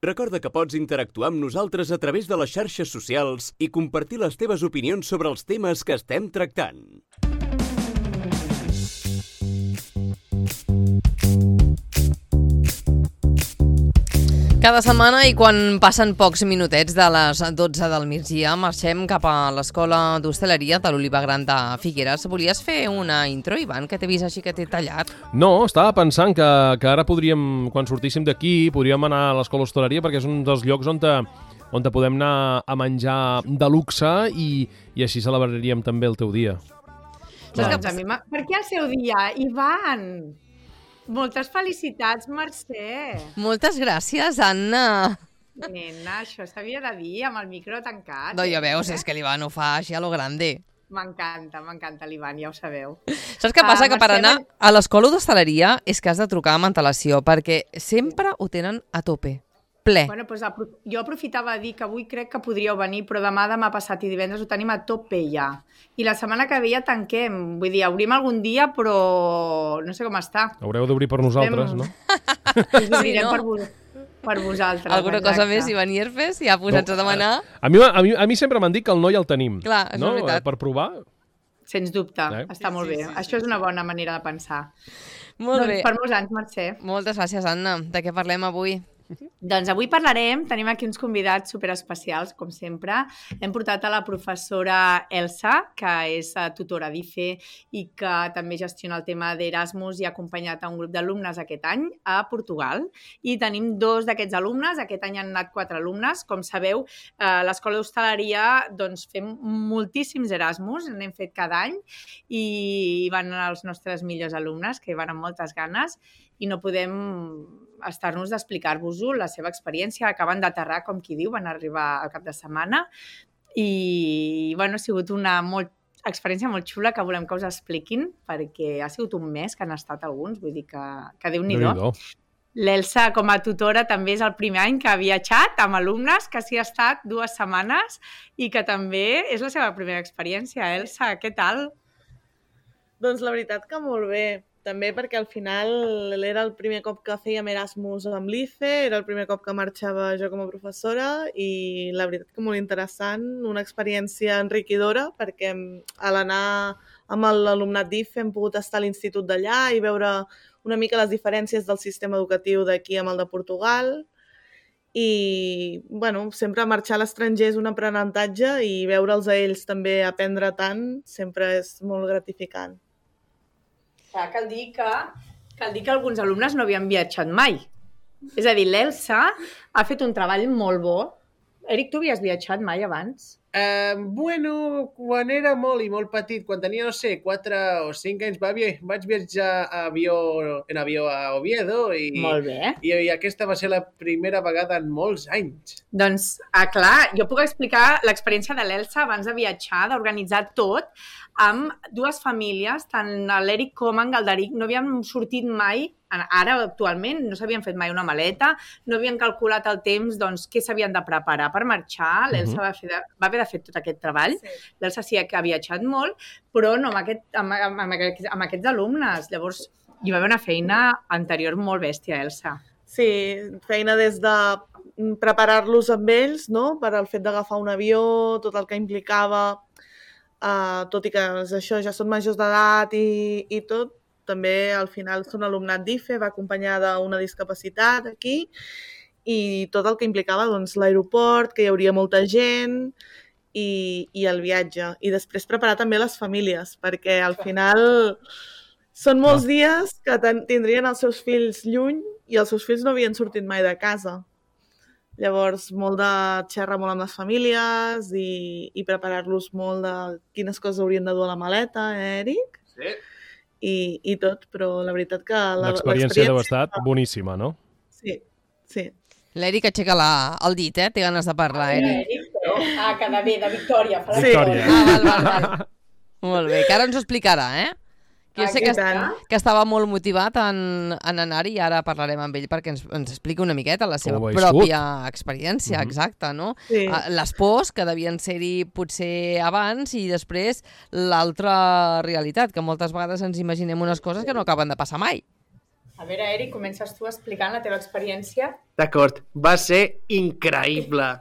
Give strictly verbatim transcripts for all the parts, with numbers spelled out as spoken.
Recorda que pots interactuar amb nosaltres a través de les xarxes socials i compartir les teves opinions sobre els temes que estem tractant. Cada setmana i quan passen pocs minutets de les dotze del migdia marxem cap a l'Escola d'Hostaleria de l'Oliva Gran de Figueres. Volies fer una intro, Ivan, que t'he vist així que t'he tallat? No, estava pensant que, que ara podríem, quan sortíssim d'aquí, podríem anar a l'Escola d'Hostaleria perquè és un dels llocs on te, on te podem anar a menjar de luxe i, i així celebraríem també el teu dia. Doncs a mi per què el seu dia, Ivan? Moltes felicitats, Mercè. Moltes gràcies, Anna. Nena, això s'havia de dir amb el micro tancat. No, ja veus, és que l'Ivan ho fa així a lo grande. M'encanta, m'encanta l'Ivan, ja ho sabeu. Saps què passa? Uh, que per Mercè, anar a l'escola d'hostaleria és que has de trucar amb antelació, perquè sempre ho tenen a tope. Ple. Bueno, doncs apro jo aprofitava a dir que avui crec que podríeu venir, però demà, demà passat i divendres ho tenim a tope ja. I la setmana que ve ja tanquem. Vull dir, obrim algun dia, però no sé com està. Haureu d'obrir per nosaltres, Estem... no? Us obrirem sí, no? per, vo per vosaltres. Alguna exacte. Cosa més, Ivan Ierfes, ja posats no, a demanar? A mi, a, mi, a mi sempre m'han dit que el noi el tenim. Clar, és no? veritat. Per provar. Sens dubte, eh? està sí, molt sí, bé. sí, Això sí, és una bona manera de pensar. Molt doncs bé. Per molts anys, Mercè. Moltes gràcies, Anna. De què parlem avui? Doncs avui parlarem, tenim aquí uns convidats superespecials, com sempre. Hem portat a la professora Elsa, que és tutora d'I F E i que també gestiona el tema d'Erasmus i ha acompanyat a un grup d'alumnes aquest any a Portugal. I tenim dos d'aquests alumnes, aquest any han anat quatre alumnes. Com sabeu, a l'Escola d'Hostaleria doncs, fem moltíssims Erasmus, n'hem fet cada any, i van anar els nostres millors alumnes, que van amb moltes ganes, i no podem estar-nos d'explicar-vos-ho, la seva experiència. Acaben d'aterrar, com qui diu, van arribar al cap de setmana i bueno, ha sigut una molt, experiència molt xula que volem que us expliquin perquè ha sigut un mes que han estat alguns, vull dir que, que Déu-n'hi-do. L'Elsa, com a tutora, també és el primer any que ha viatjat amb alumnes, que s'hi ha estat dues setmanes i que també és la seva primera experiència. Elsa, què tal? Doncs la veritat que molt bé. També perquè al final era el primer cop que fèiem Erasmus amb l'I F E, era el primer cop que marxava jo com a professora i la veritat que molt interessant, una experiència enriquidora perquè a l'anar amb l'alumnat d'I F E hem pogut estar a l'institut d'allà i veure una mica les diferències del sistema educatiu d'aquí amb el de Portugal i bueno, sempre marxar a l'estranger és un aprenentatge i veure'ls a ells també aprendre tant sempre és molt gratificant. Clar, cal dir que, cal dir que alguns alumnes no havien viatjat mai. És a dir, l'Elsa ha fet un treball molt bo. Eric, tu havies viatjat mai abans? Uh, bueno, quan era molt i molt petit, quan tenia, no sé, quatre o cinc anys, va, vaig viatjar a avió, en avió a Oviedo i, molt bé. I, i aquesta va ser la primera vegada en molts anys. Doncs, ah, clar, jo puc explicar l'experiència de l'Elsa abans de viatjar, d'organitzar tot, amb dues famílies, tant l'Eric com en Galderic, no havien sortit mai, ara actualment no s'havien fet mai una maleta, no havien calculat el temps, doncs, què s'havien de preparar per marxar, l'Elsa uh-huh. va, fer de, va haver de fer tot aquest treball, sí. L'Elsa sí que ha viatjat molt, però no amb, aquest, amb, amb, amb, aquests, amb aquests alumnes, llavors hi va haver una feina anterior molt bèstia, Elsa. Sí, feina des de preparar-los amb ells, no?, per al fet d'agafar un avió, tot el que implicava, uh, tot i que això ja són majors d'edat i, i tot, també al final són alumnat d'I F E, va acompanyada d'una discapacitat aquí i tot el que implicava doncs, l'aeroport, que hi hauria molta gent i, i el viatge. I després preparar també les famílies, perquè al final són molts dies que tindrien els seus fills lluny i els seus fills no havien sortit mai de casa. Llavors, molt de xerrar molt amb les famílies i, i preparar-los molt de quines coses haurien de dur a la maleta, eh, Eric? Sí. I, i tot, però la veritat que... L'experiència deu estar boníssima, no? Sí, sí. L'Eric aixeca la, el dit, eh? Té ganes de parlar, Eric. Eric, no? Ah, que de bé, de Victòria. Sí. Victòria. Ah, val, val, val. Molt bé, que ara ens ho explicarà, eh? Que jo sé que, que estava molt motivat en, en anar-hi i ara parlarem amb ell perquè ens, ens expliqui una miqueta la seva pròpia experiència, mm-hmm. exacta, no? Sí. Les pors que devien ser-hi potser abans i després l'altra realitat, que moltes vegades ens imaginem unes coses que no acaben de passar mai. A veure, Eric, comences tu explicant la teva experiència. D'acord, va ser increïble.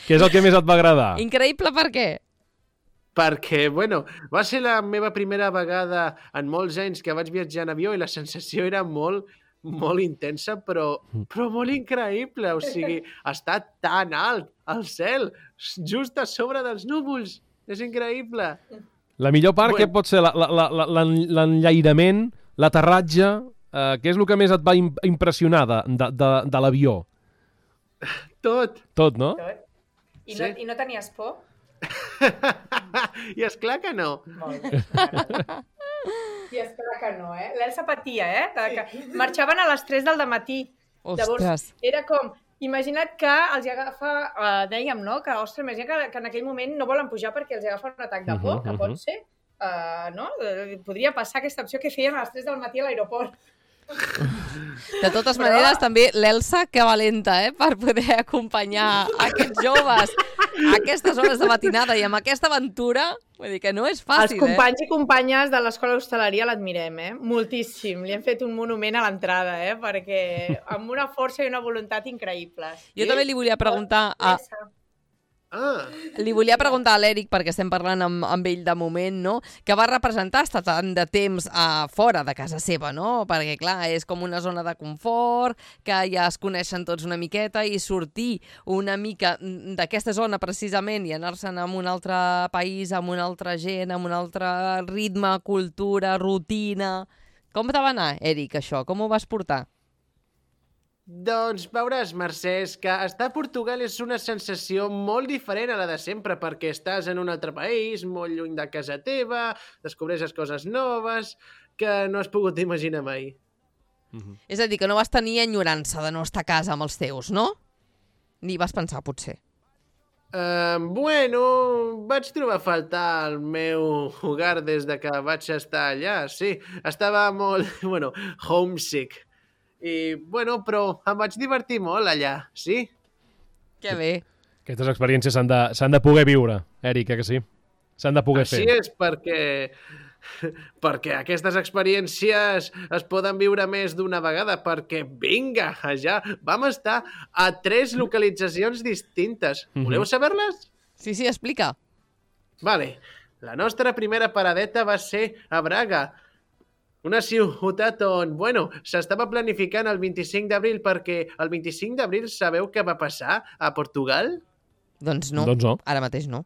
Què és el que més et va agradar? Increïble per què? Perquè, bueno, va ser la meva primera vegada en molts anys que vaig viatjar en avió i la sensació era molt, molt intensa, però, però molt increïble. O sigui, està tan alt al cel, just a sobre dels núvols. És increïble. La millor part, Bueno. què pot ser? La- la- la- la- l'en- L'enllairament, l'aterratge, eh, què és el que més et va im- impressionar de, de, de, de l'avió? Tot. Tot, no? Tot. I, Sí. no, I no tenies por? I esclar que no. Molt bé. I esclar que no, eh? L'Elsa patia, eh? De que marxaven a les tres del dematí. Ostres. Era com, imagina't que els hi agafa, uh, dèiem, no? Que, ostres, imagina que, que en aquell moment no volen pujar perquè els hi agafa un atac de por, Mhm, que mhm. pot ser, uh, no? Eh, Podria passar aquesta opció que feien a les tres del matí a l'aeroport. De totes maneres, també l'Elsa, que valenta, eh? Per poder acompanyar aquests joves a aquestes hores de matinada i amb aquesta aventura, vull dir que no és Els fàcil, companys i companyes de l'Escola d'Hostaleria l'admirem, eh? Moltíssim. Li hem fet un monument a l'entrada, eh? Perquè amb una força i una voluntat increïbles. eh? Jo també li volia preguntar a, Elsa. Ah, li volia preguntar a l'Eric, perquè estem parlant amb, amb ell de moment, no? Que va representar estar tant de temps a fora de casa seva, no? Perquè, clar, és com una zona de confort, que ja es coneixen tots una miqueta i sortir una mica d'aquesta zona precisament i anar-se'n a un altre país, amb una altra gent, amb un altre ritme, cultura, rutina... Com te va anar, Eric, això? Com ho vas portar? doncs veuràs, Mercè, és que estar a Portugal és una sensació molt diferent a la de sempre, perquè estàs en un altre país, molt lluny de casa teva, descobreixes coses noves que no has pogut imaginar mai. És a dir, que no vas tenir enyorança de no estar a casa amb els teus, no? Ni vas pensar, potser. Uh, bueno, vaig trobar a faltar el meu hogar des de que vaig estar allà, sí. Estava molt, bueno, homesick. I, bueno, però em vaig divertir molt allà, sí? Que bé. Aquestes experiències s'han de, s'han de poder viure, Eric, eh que sí? S'han de poder Així fer. és perquè... perquè aquestes experiències es poden viure més d'una vegada, perquè, vinga, ja vam estar a tres localitzacions distintes. Mhm. Voleu saber-les? Sí, sí, explica. Vale. La nostra primera paradeta va ser a Braga, una ciutat on, bueno, s'estava planificant el vint-i-cinc d'abril perquè el vint-i-cinc d'abril sabeu què va passar a Portugal? Doncs no. Doncs no. Ara mateix no.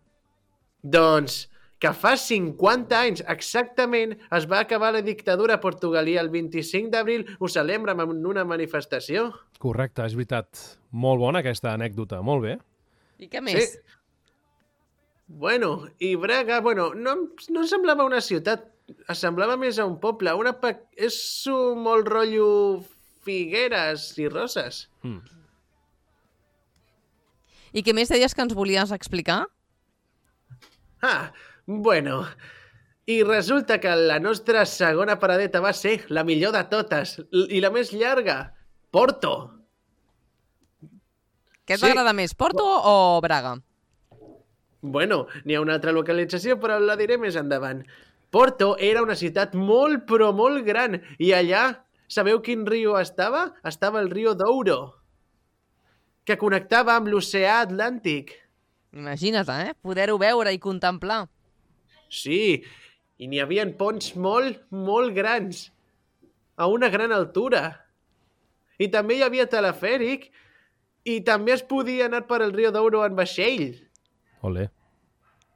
Doncs que fa cinquanta anys exactament es va acabar la dictadura a Portugal i el vint-i-cinc d'abril ho celebrem en una manifestació. Correcte, és veritat. Molt bona aquesta anècdota, molt bé. I què més? Sí. Bueno, i Braga, bueno, no, em- no em semblava una ciutat, es semblava més a un poble. Una pe... És un molt rotllo figueres i roses. Mm. I què més deies que ens volies explicar? Ah, bueno... I resulta que la nostra segona paradeta va ser la millor de totes l- i la més llarga, Porto. Què et Sí. va agradar més, Porto o Braga? Bueno, n'hi ha una altra localització, però la diré més endavant. Porto era una ciutat molt, però molt gran, i allà, sabeu quin riu estava? Estava el riu Douro, que connectava amb l'oceà Atlàntic. Imagina't, eh? Poder-ho veure i contemplar. Sí, i n'hi havia ponts molt, molt grans, a una gran altura. I també hi havia telefèric, i també es podia anar per el riu Douro en vaixell. Olé.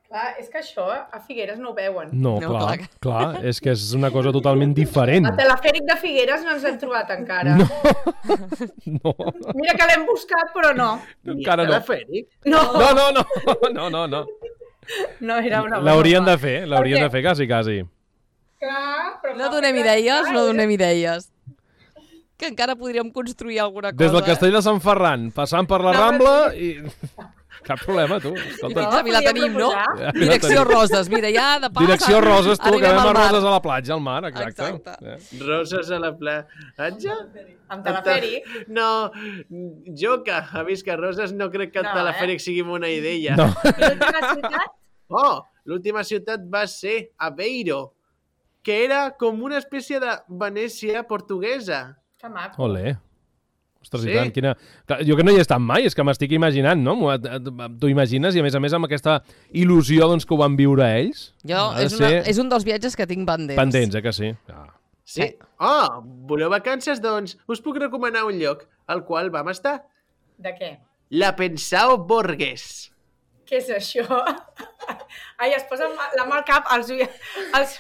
Clar, és que això a Figueres no ho veuen. No, No, clar, clar que- clar, és que és una cosa totalment diferent. El telefèric de Figueres no ens l'hem trobat encara. No, no, Mira que l'hem buscat, però no. encara no. Telefèric? No, No, no, no, no, no, no. no era una broma. L'haurien de fer, l'haurien Per de fer, quasi, quasi. Clar, però No fa donem Figueres, idees, clar, no eh? donem idees. Que encara podríem construir alguna cosa. Des del castell de Sant Ferran, passant per la No, Rambla i... Cap problema, tu. I Escolta. fins a Vila podríem tenim, no? proposar. Ja, Direcció tenim. Roses, mira, ja de pas... Direcció Roses, tu, que arribem anem a al mar. Roses a la platja, al mar, exacte. Exacte. Eh. Roses a la platja? Amb telefèric. No, jo que ha vist que Roses no crec que el No, telefèric sigui una idea. No. I l'última ciutat? Oh, l'última ciutat va ser Aveiro, que era com una espècie de Venècia portuguesa. Que maco. Olé. Ostres, Sí. i tant, quina... Clar, jo que no hi he estat mai, és que m'estic imaginant, no? M'ho- T'ho imagines i, a més a més, amb aquesta il·lusió doncs, que ho van viure ells. Jo, Ha de és, una, ser és un dels viatges que tinc pendents. Pendents, eh, que sí? Ah. Sí? Sí. Oh, voleu vacances? Doncs us puc recomanar un lloc al qual vam estar. De què? La Pensao Borges. Què és això? Ai, es posen la mà al cap. Els, oi- els,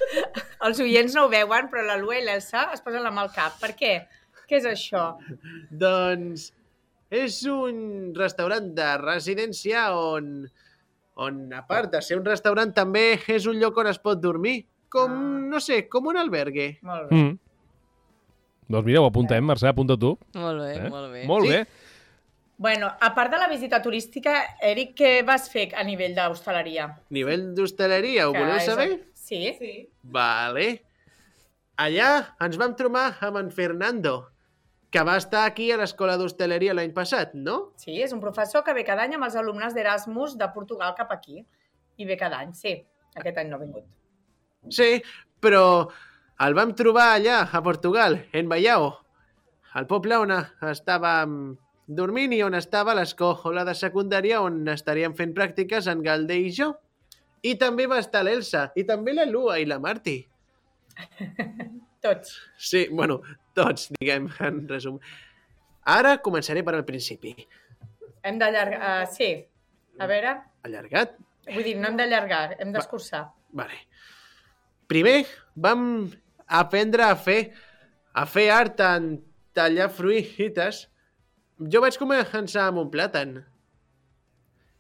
els oients no ho veuen, però la Lua i l'Elsa es posen la mà al cap. Per què? Què és això? Doncs és un restaurant de residència on, on, a part de ser un restaurant, també és un lloc on es pot dormir. Com, Ah. no sé, com un albergue. Molt bé. Mm. Doncs mira, ho apuntem, Mercè, apunta tu. Molt bé, Eh? molt bé. Molt Sí. bé. Bueno, a part de la visita turística, Eric, què vas fer a nivell d'hostaleria? Nivell d'hostaleria, ho Que voleu és- saber? Sí? Sí. Vale. Allà ens vam trobar amb en Fernando, que va estar aquí a l'escola d'hostaleria l'any passat, no? Sí, és un professor que ve cada any amb els alumnes d'Erasmus de Portugal cap aquí. I ve cada any, sí. Aquest any no ha vingut. Sí, però el vam trobar allà, a Portugal, en Baiao, al poble on estàvem dormint i on estava l'escola de secundària on estaríem fent pràctiques en Galder i jo. I també va estar l'Elsa, i també la Lua i la Marti. Tots. Sí, bueno, tots, diguem, en resum. Ara començaré per al principi. Hem d'allargar... Uh, sí. A veure... Allargat? Vull dir, no hem d'allargar, hem d'escurçar. Vale. Primer vam aprendre a fer a fer art en tallar fruites. Jo vaig començar amb un plàtan.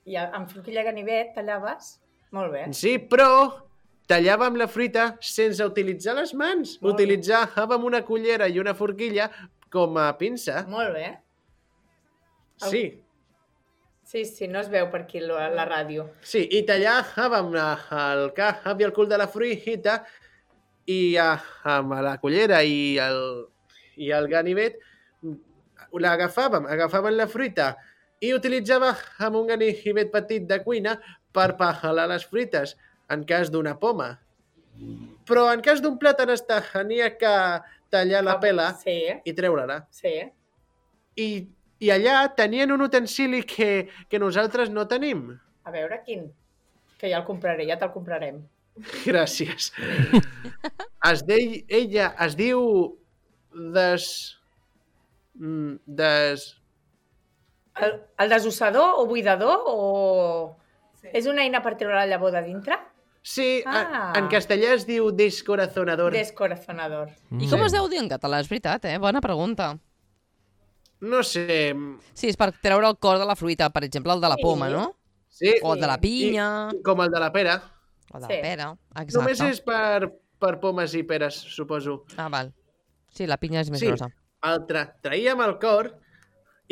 I amb forquilla i ganivet tallaves? Molt bé. Sí, però tallàvem la fruita sense utilitzar les mans. Molt bé. Utilitzàvem una cullera i una forquilla com a pinça. Molt bé. Sí, Sí, sí, no es veu per aquí la, la ràdio. sí, i tallàvem el cap i el cul de la fruita i a, amb la cullera i el, i el ganivet l'agafàvem, agafàvem la fruita i utilitzàvem un ganivet petit de cuina per pelar les fruites, en cas d'una poma. Però en cas d'un plàtan es tenia que tallar la pela Sí, i treure-la. sí. I, I allà tenien un utensili que, que nosaltres no tenim. A veure quin. Que ja el compraré, ja te'l comprarem. Gràcies. Es dei, ella es diu des... mm, des... El, el desossador o buidador o... Sí. És una eina per treure la llavor de dintre? Sí, Ah. en, en castellà es diu descorazonador. Descorazonador. I com es deu dir en català? És veritat, eh? Bona pregunta. No sé... Sí, és per treure el cor de la fruita, per exemple, el de la Sí. poma, no? Sí, O el de la pinya, i, com el de la pera. o de Sí. la pera. Exacte. Només és per, per pomes i peres, suposo. Ah, val. Sí, la pinya és més Sí. grossa. El tra traíem el cor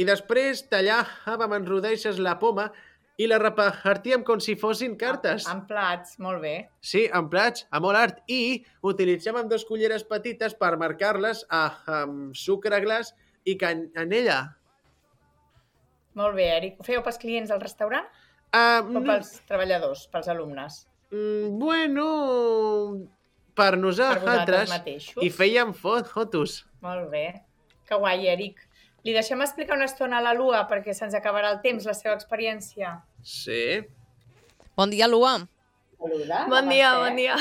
i després tallàvem en rodeixes la poma i la repartíem com si fossin cartes. En plats, molt bé. Sí, en plats, a molt art. I utilitzàvem dos culleres petites per marcar-les a- amb sucre glaç i canella. Molt bé, Eric. Ho fèieu pels clients del restaurant Uh, o no, pels treballadors, pels alumnes? mm, bueno, per Per nosaltres vosaltres mateixos? i fèiem fo fotos. Molt bé. Que guai, Eric. Li deixem explicar una estona a la Lua perquè se'ns acabarà el temps, la seva experiència. Sí. Bon dia, Lua. Saluda. Bon dia, bon dia.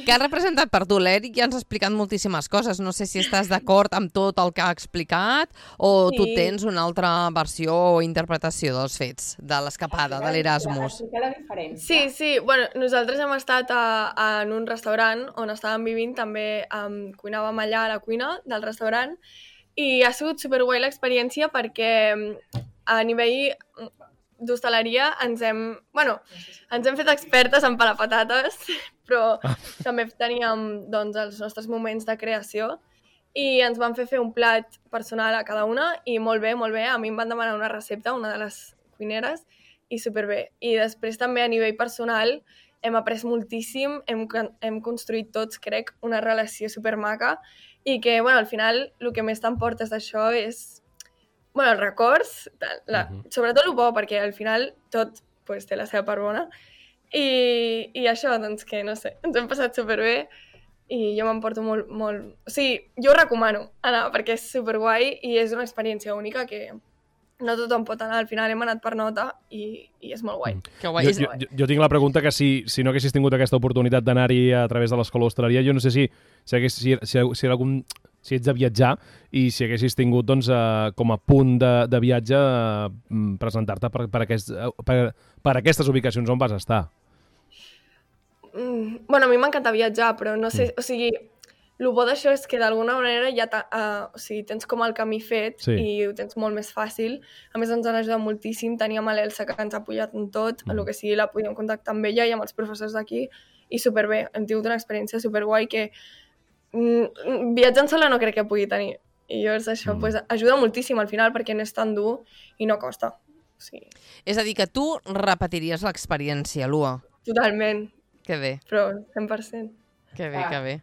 Què ha representat per tu? L'Eric ja ens ha explicat moltíssimes coses. No sé si estàs d'acord amb tot el que ha explicat o tu Sí. tens una altra versió o interpretació dels fets, de l'escapada, de l'Erasmus. Explicar la diferència. Sí, sí, bueno, nosaltres hem estat a, a, en un restaurant on estàvem vivint, també um, cuinàvem allà a la cuina del restaurant i ha sigut superguai l'experiència perquè mm, a nivell mm, d'hostaleria ens hem, bueno, ens hem fet expertes en pelapatates, però també teníem doncs, els nostres moments de creació i ens van fer fer un plat personal a cada una i molt bé, molt bé. A mi em van demanar una recepta, una de les cuineres, i superbé. I després també a nivell personal hem après moltíssim, hem, hem construït tots, crec, una relació supermaca i que, bueno, al final el que més t'emportes d'això és, bueno, els records, la, Mhm. sobretot el bo, perquè al final tot pues, té la seva part bona. I, I això, doncs que, no sé, ens hem passat superbé i jo m'emporto molt, molt... O sigui, jo ho recomano anar perquè és superguai i és una experiència única que no tothom pot anar. Al final hem anat per nota i, i és molt guai. Mm. Que guai. Jo, jo, jo, jo tinc la pregunta que si, si no haguessis tingut aquesta oportunitat d'anar-hi a través de l'escola d'hostaleria, jo no sé si, si, hagués, si, si, si, algun, si ets de viatjar i si haguessis tingut doncs, eh, com a punt de, de viatge eh, presentar-te per, per, aquest, per, per aquestes ubicacions on vas estar. Mm, bueno, a mi m'encanta viatjar, però no sé... Mm. O sigui, el bo d'això és que d'alguna manera ja uh, o sigui, tens com el camí fet sí. i ho tens molt més fàcil. A més, ens han ajudat moltíssim. Teníem l'Elsa que ens ha apoyat en tot, mm. el que sigui la podíem contactar amb ella i amb els professors d'aquí. I superbé, hem tingut una experiència superguai que mm, viatjant sola no crec que pugui tenir. I llavors això mm. pues, ajuda moltíssim al final perquè no és tan dur i no costa. O sigui... És a dir, que tu repetiries l'experiència, Lua. Totalment. Que bé. Però cent per cent. Que bé, que bé.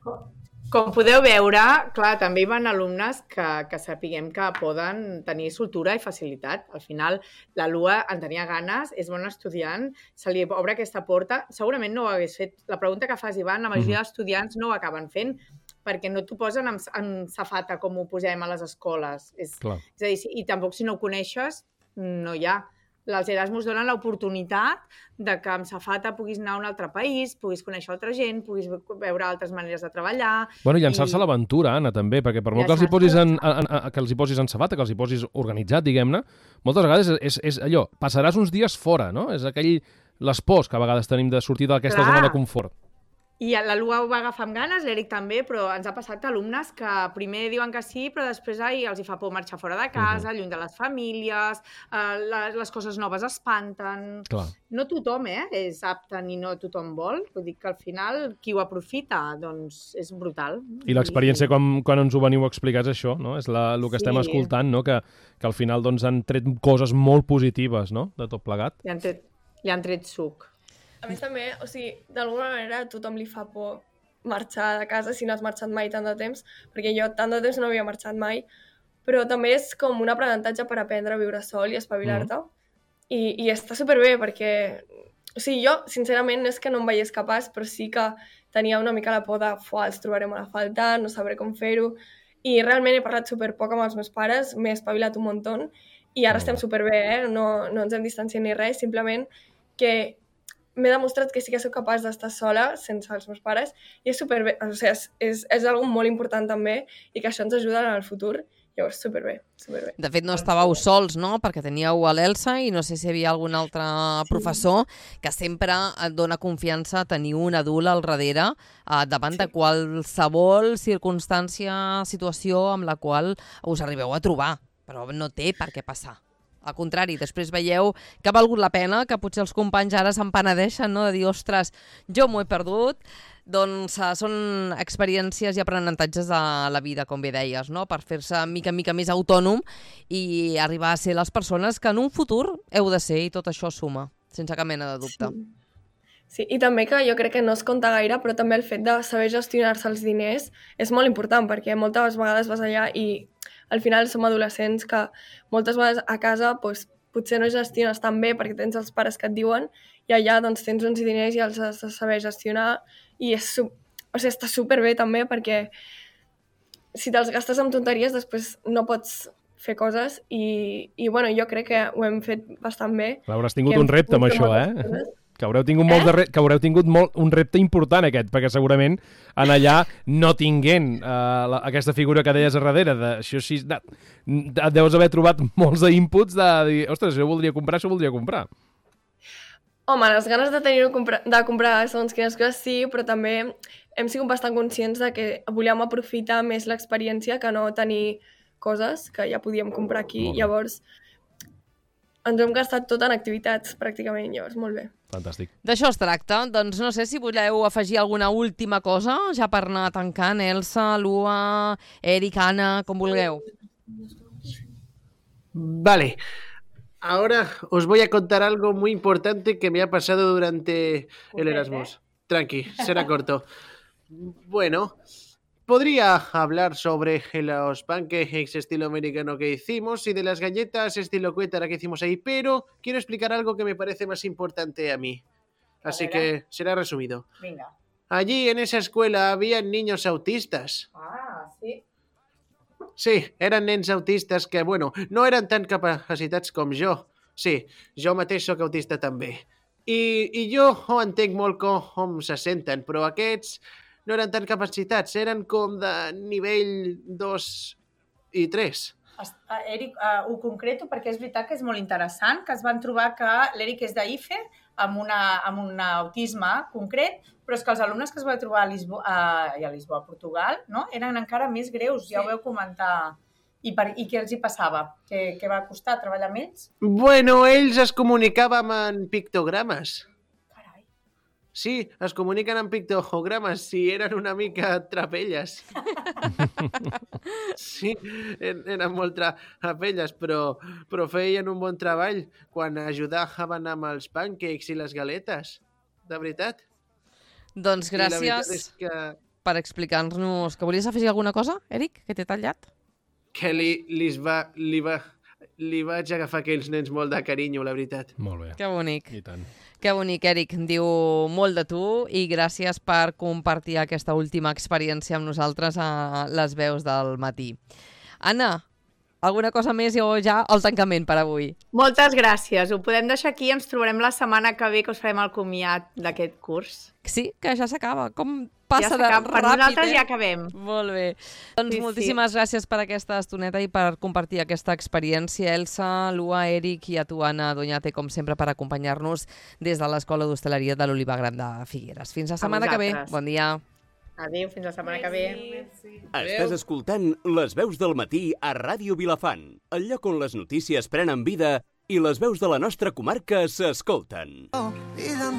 Com podeu veure, clar, també hi van alumnes que, que sapiguem que poden tenir soltura i facilitat. Al final, la Lua en tenia ganes, és bon estudiant, se li obre aquesta porta. Segurament no ho hagués fet. La pregunta que fas, Ivan, la majoria mm-hmm. d'estudiants no ho acaben fent perquè no t'ho posen en, en safata com ho posem a les escoles. És, és a dir, i tampoc si no ho coneixes, no hi ha. Els Erasmus donen l'oportunitat de que amb safata puguis anar a un altre país, puguis conèixer altra gent, puguis veure altres maneres de treballar... Bueno, llançar-se i... a l'aventura, Anna, també, perquè per molt que els, hi posis en, en, en, que els hi posis en safata, que els hi posis organitzat, diguem-ne, moltes vegades és, és allò, passaràs uns dies fora, no? És aquell... les pors que a vegades tenim de sortir d'aquesta Clar. zona de confort. I la Lua ho va agafar amb ganes, l'Eric també, però ens ha passat alumnes que primer diuen que sí, però després ai, els hi fa por marxar fora de casa, uh-huh. lluny de les famílies, eh, les, les coses noves espanten... Clar. No tothom eh, és apte ni no tothom vol, vull dir que al final qui ho aprofita doncs és brutal. I l'experiència, I... quan, quan ens ho veniu a explicar, és això, no? És la, el que sí. estem escoltant, no? que, que al final doncs, han tret coses molt positives, no? De tot plegat. Li han tret, li han tret suc. A més també, o sigui, d'alguna manera a tothom li fa por marxar de casa si no has marxat mai tant de temps, perquè jo tant de temps no havia marxat mai, però també és com un aprenentatge per aprendre a viure sol i espavilar-te. Mm. I, I està superbé perquè, o sigui, jo, sincerament, no és que no em veiés capaç, però sí que tenia una mica la por de, fuà, els trobarem a la falta, no sabré com fer-ho, i realment he parlat superpoc amb els meus pares, m'he espavilat un muntó, i ara estem superbé, eh? No, no ens hem distanciat ni res, simplement que m'he demostrat que sí que soc capaç d'estar sola sense els meus pares i és superbé, o sigui, és, és, és algo molt important també i que això ens ajuda en el futur. Llavors, superbé, superbé. De fet, no estàveu sols, no? Perquè teníeu a l'Elsa i no sé si hi havia algun altre professor que sempre et dona confiança tenir un adult al darrere eh, davant sí. de qualsevol circumstància, situació amb la qual us arribeu a trobar, però no té per què passar. Al contrari, després veieu que ha valgut la pena, que potser els companys ara se'n penedeixen, no? De dir, ostres, jo m'ho he perdut. Doncs uh, són experiències i aprenentatges de la vida, com bé deies, no? Per fer-se mica en mica més autònom i arribar a ser les persones que en un futur heu de ser, i tot això suma, sense cap mena de dubte. Sí. Sí, i també que jo crec que no es compta gaire, però també el fet de saber gestionar-se els diners és molt important, perquè moltes vegades vas allà i al final som adolescents que moltes vegades a casa doncs, potser no gestiones tan bé perquè tens els pares que et diuen i allà doncs, tens uns diners i els has de saber gestionar i és, o sigui, està superbé també perquè si te'ls gastes amb tonteries després no pots fer coses i, i bueno, jo crec que ho hem fet bastant bé. Hauràs tingut un repte amb això, eh? Coses. Que haureu tingut, molt eh? de re... que haureu tingut molt... un repte important aquest, perquè segurament en allà no tinguent uh, la, aquesta figura que deies a darrere, de, això sí, de, de, deus haver trobat molts inputs de dir, ostres, això ho voldria comprar, això ho voldria comprar. Home, les ganes de tenir-ho compra... de comprar segons quines coses sí, però també hem sigut bastant conscients de que volíem aprofitar més l'experiència que no tenir coses que ja podíem comprar aquí, llavors ens hem gastat tot en activitats, pràcticament, llavors, molt bé. Fantàstic. D'això es tracta. Doncs no sé si voleu afegir alguna última cosa, ja per anar tancant, Elsa, Lua, Eric, Anna, com vulgueu. Vale. Ahora os voy a contar algo muy importante que me ha pasado durante el Erasmus. Tranqui, será corto. Bueno... Podría hablar sobre los pancakes estilo americano que hicimos y de las galletas estilo cuétara que hicimos ahí, pero quiero explicar algo que me parece más importante a mí. Así que será resumido. Venga. allí en esa escuela había niños autistas. Ah, sí. Sí, eren nens autistes que, bueno, no eren tan capacitats com jo. Sí, jo mateix sóc autista també. I, i jo ho entenc molt com se senten, però aquests no eren tan capacitats, eren com de nivell dos i tres. Eric, uh, ho concreto perquè és veritat que és molt interessant, que es van trobar que l'Eric és d'I F E amb, una, amb un autisme concret, però és que els alumnes que es van trobar a Lisboa, a, a Lisboa, a Portugal, no? Eren encara més greus, sí. Ja ho veu comentar. I, per, i què els hi passava? Què, què va costar treballar amb ells? Bueno, ells es comunicaven en pictogrames. Carai. Sí, es comuniquen en pictogrames, sí, eren una mica trapelles. Sí, eren molt trapelles, però, però feien un bon treball quan ajudaven amb els pancakes i les galetes. De veritat. Doncs gràcies que... per explicar-nos... Que volies afegir alguna cosa, Eric, que t'he tallat? Que li, li, va, li, va, li vaig agafar aquells nens molt de carinyo, la veritat. Molt bé. Que bonic. I tant. Que bonic, Eric. Diu molt de tu i gràcies per compartir aquesta última experiència amb nosaltres a les veus del matí. Anna, alguna cosa més o ja el tancament per avui? Moltes gràcies. Ho podem deixar aquí. Ens trobarem la setmana que ve que us farem el comiat d'aquest curs. Sí, que ja s'acaba. Com passa ja de ràpid, per nosaltres eh? ja acabem. Molt bé. Doncs sí, moltíssimes sí. gràcies per aquesta estoneta i per compartir aquesta experiència. Elsa, Lua, Eric i a tu, Anna Doñate, com sempre, per acompanyar-nos des de l'Escola d'Hostaleria de l'Oliva Gran de Figueres. Fins la setmana que ve. Bon dia. Adéu, fins la setmana que ve. Estàs escoltant Les veus del matí a Ràdio Vilafant, el lloc on les notícies prenen vida i les veus de la nostra comarca s'escolten.